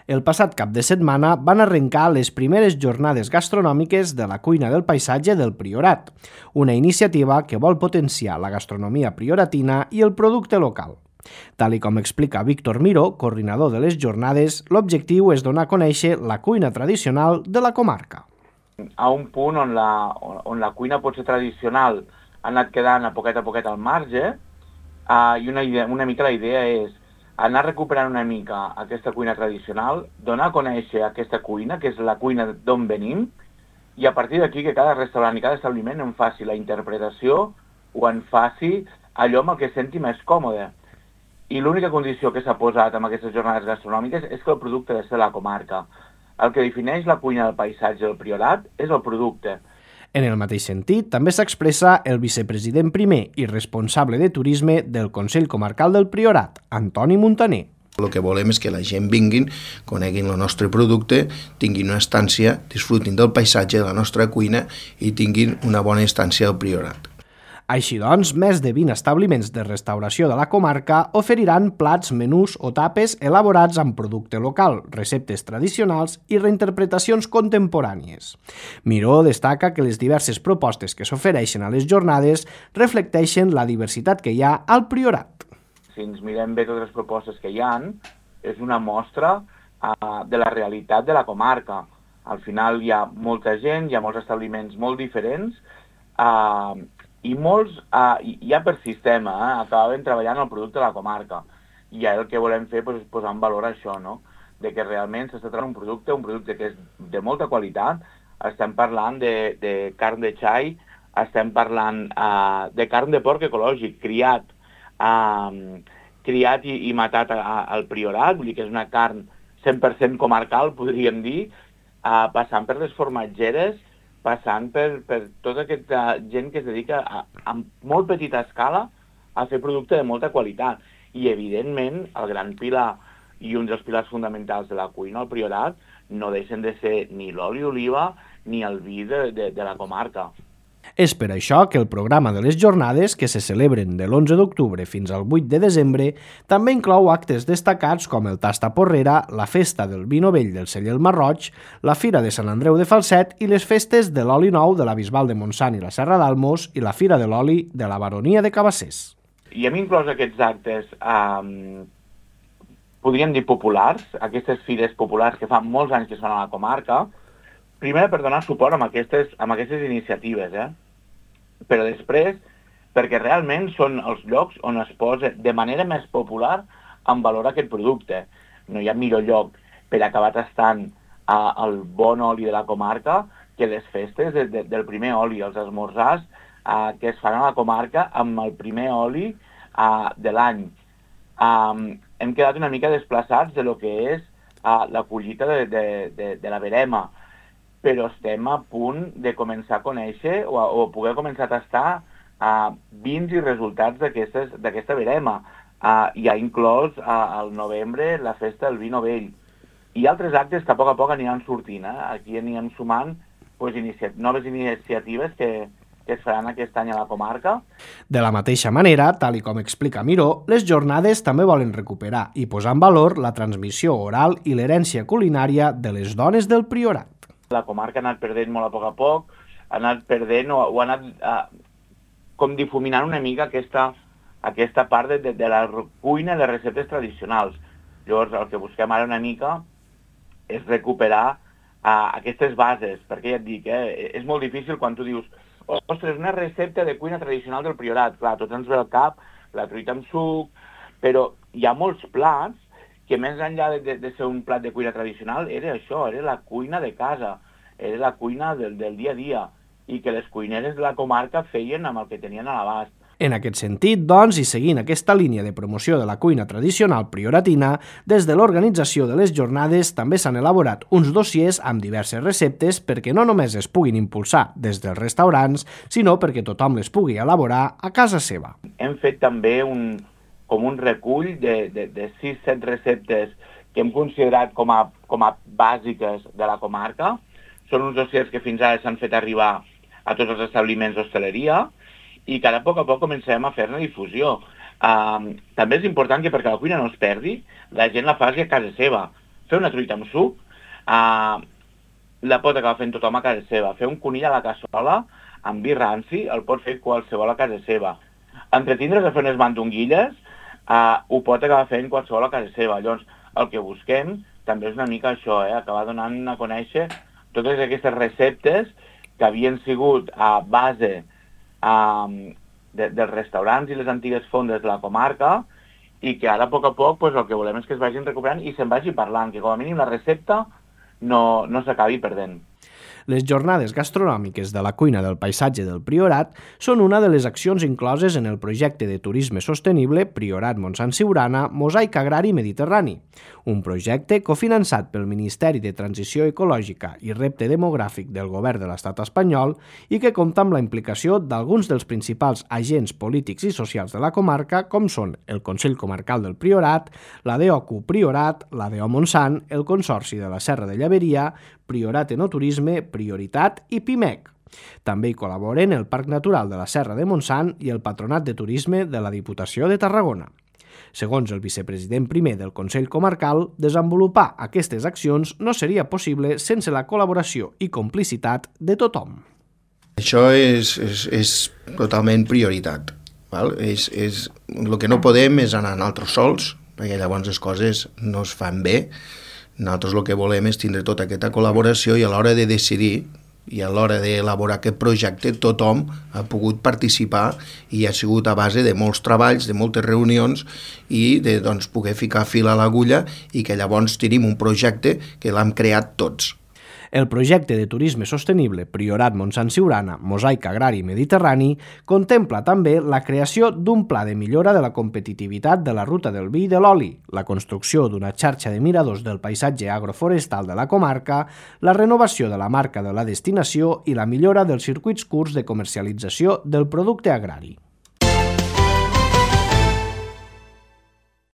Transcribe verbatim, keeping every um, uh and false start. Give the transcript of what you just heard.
El passat cap de setmana van arrencar les primeres jornades gastronòmiques de la cuina del paisatge del Priorat, una iniciativa que vol potenciar la gastronomia prioratina i el producte local. Tal i com explica Víctor Miró, coordinador de les jornades, l'objectiu és donar a conèixer la cuina tradicional de la comarca. A un punt on la, on la cuina pot ser tradicional ha anat quedant a poquet a poquet al marge uh, i una, idea, una mica la idea és anar recuperant una mica aquesta cuina tradicional, donar a conèixer aquesta cuina, que és la cuina d'on venim, i a partir d'aquí que cada restaurant i cada establiment en faci la interpretació o en faci allò amb el que senti més còmode. I l'única condició que s'ha posat amb aquestes jornades gastronòmiques és que el producte ha de ser la comarca. El que defineix la cuina del paisatge del Priorat és el producte. En el mateix sentit, també s'expressa el vicepresident primer i responsable de turisme del Consell Comarcal del Priorat, Antoni Muntaner. El que volem és que la gent vinguin, coneguin el nostre producte, tinguin una estància, disfrutin del paisatge de la nostra cuina i tinguin una bona estància al Priorat. Així doncs, més de vint establiments de restauració de la comarca oferiran plats, menús o tapes elaborats amb producte local, receptes tradicionals i reinterpretacions contemporànies. Miró destaca que les diverses propostes que s'ofereixen a les jornades reflecteixen la diversitat que hi ha al Priorat. Si ens mirem bé totes les propostes que hi ha, és una mostra uh, de la realitat de la comarca. Al final hi ha molta gent, hi ha molts establiments molt diferents, uh, i molts, uh, ja per sistema, eh, acabaven treballant el producte de la comarca. I ja el que volem fer pues, és posar en valor això, no? De que realment s'està trobant un producte, un producte que és de molta qualitat. Estem parlant de, de carn de xai, estem parlant uh, de carn de porc ecològic, criat, uh, criat i, i matat a, a, al Priorat, vull dir que és una carn cent per cent comarcal, podríem dir, uh, passant per les formatgeres, passant per, per tota aquesta gent que es dedica a, a molt petita escala a fer producte de molta qualitat. I, evidentment, el gran pilar i un dels pilars fonamentals de la cuina al Priorat no deixen de ser ni l'oli d'oliva ni el vi de, de, de la comarca. És per això que el programa de les jornades, que se celebren de l'onze d'octubre fins al vuit de desembre, també inclou actes destacats com el Tasta Porrera, la Festa del Vi Novell del Celler el Marroig, la Fira de Sant Andreu de Falset i les festes de l'oli nou de la Bisbal de Montsant i la Serra d'Almos i la Fira de l'Oli de la Baronia de Cabassers. I hem inclòs aquests actes, eh, podríem dir populars, aquestes fires populars que fa molts anys que es fan a la comarca, primer per donar suport amb aquestes, amb aquestes iniciatives, eh? Però després perquè realment són els llocs on es posa de manera més popular en valor aquest producte. No hi ha millor lloc per acabar tastant uh, el bon oli de la comarca que les festes de, de, del primer oli, els esmorzars uh, que es fan a la comarca amb el primer oli uh, de l'any. Um, hem quedat una mica desplaçats de lo que és uh, la collita de, de, de, de la verema, però estem a punt de començar a conèixer o, a, o poder començar a tastar uh, vins i resultats d'aquesta verema. Uh, hi ha inclòs uh, al novembre la festa del vi novell. I altres actes que a poc a poc aniran sortint. Eh? Aquí anirem sumant pues, inicia noves iniciatives que, que es faran aquest any a la comarca. De la mateixa manera, tal i com explica Miró, les jornades també volen recuperar i posar en valor la transmissió oral i l'herència culinària de les dones del Priorat. La comarca ha anat perdent molt a poc a poc, ha anat perdent o, o ha anat uh, com difuminant una mica aquesta, aquesta part de, de, de la cuina i les receptes tradicionals. Llavors, el que busquem ara una mica és recuperar uh, aquestes bases, perquè ja et dic, eh, és molt difícil quan tu dius ostres, una recepta de cuina tradicional del Priorat. Clar, tots ens ve al cap la truita amb suc, però hi ha molts plats que més enllà de, de, de ser un plat de cuina tradicional, era això, era la cuina de casa, era la cuina del, del dia a dia, i que les cuineres de la comarca feien amb el que tenien a l'abast. En aquest sentit, doncs, i seguint aquesta línia de promoció de la cuina tradicional prioratina, des de l'organització de les jornades també s'han elaborat uns dossiers amb diverses receptes perquè no només es puguin impulsar des dels restaurants, sinó perquè tothom les pugui elaborar a casa seva. Hem fet també un com un recull de, de, de sis set receptes que hem considerat com a, com a bàsiques de la comarca. Són uns dossiers que fins ara s'han fet arribar a tots els establiments d'hostaleria i que ara a poc a poc comencem a fer-ne difusió. Um, també és important que perquè la cuina no es perdi, la gent la faci a casa seva. fer una truita amb suc, uh, la pot acabar fent tothom a casa seva. Fer un conill a la cassola amb vi ranci el pot fer qualsevol a casa seva. Entretindre's a fer unes mandonguilles uh, ho pot acabar fent qualsevol a casa seva. Llavors, el que busquem també és una mica això, eh? Acabar donant a conèixer totes aquestes receptes que havien sigut a base um, de, dels restaurants i les antigues fondes de la comarca i que ara, a poc a poc, pues, el que volem és que es vagin recuperant i se'n vagi parlant, que com a mínim la recepta no, no s'acabi perdent. Les jornades gastronòmiques de la cuina del paisatge del Priorat són una de les accions incloses en el projecte de turisme sostenible Priorat Montsant Siurana Mosaic Agrari Mediterrani, un projecte cofinançat pel Ministeri de Transició Ecològica i Repte Demogràfic del Govern de l'Estat espanyol i que compta amb la implicació d'alguns dels principals agents polítics i socials de la comarca, com són el Consell Comarcal del Priorat, la D O C U Priorat, la D O Montsant, el Consorci de la Serra de Llaveria, Priorat Enoturisme, Prioritat i Pimec. També hi col·laboren el Parc Natural de la Serra de Montsant i el Patronat de Turisme de la Diputació de Tarragona. Segons el vicepresident primer del Consell Comarcal, desenvolupar aquestes accions no seria possible sense la col·laboració i complicitat de tothom. Això és, és, és totalment prioritat. Val? És, és, el que no podem és anar nosaltres sols, perquè llavors les coses no es fan bé. Nosaltres el que volem és tindre tota aquesta col·laboració i a l'hora de decidir i a l'hora d'elaborar aquest projecte tothom ha pogut participar i ha sigut a base de molts treballs, de moltes reunions i de doncs, poder ficar fil a l'agulla i que llavors tenim un projecte que l'hem creat tots. El projecte de turisme sostenible Priorat Montsant Siurana Mosaic Agrari Mediterrani contempla també la creació d'un pla de millora de la competitivitat de la ruta del vi i de l'oli, la construcció d'una xarxa de miradors del paisatge agroforestal de la comarca, la renovació de la marca de la destinació i la millora dels circuits curts de comercialització del producte agrari.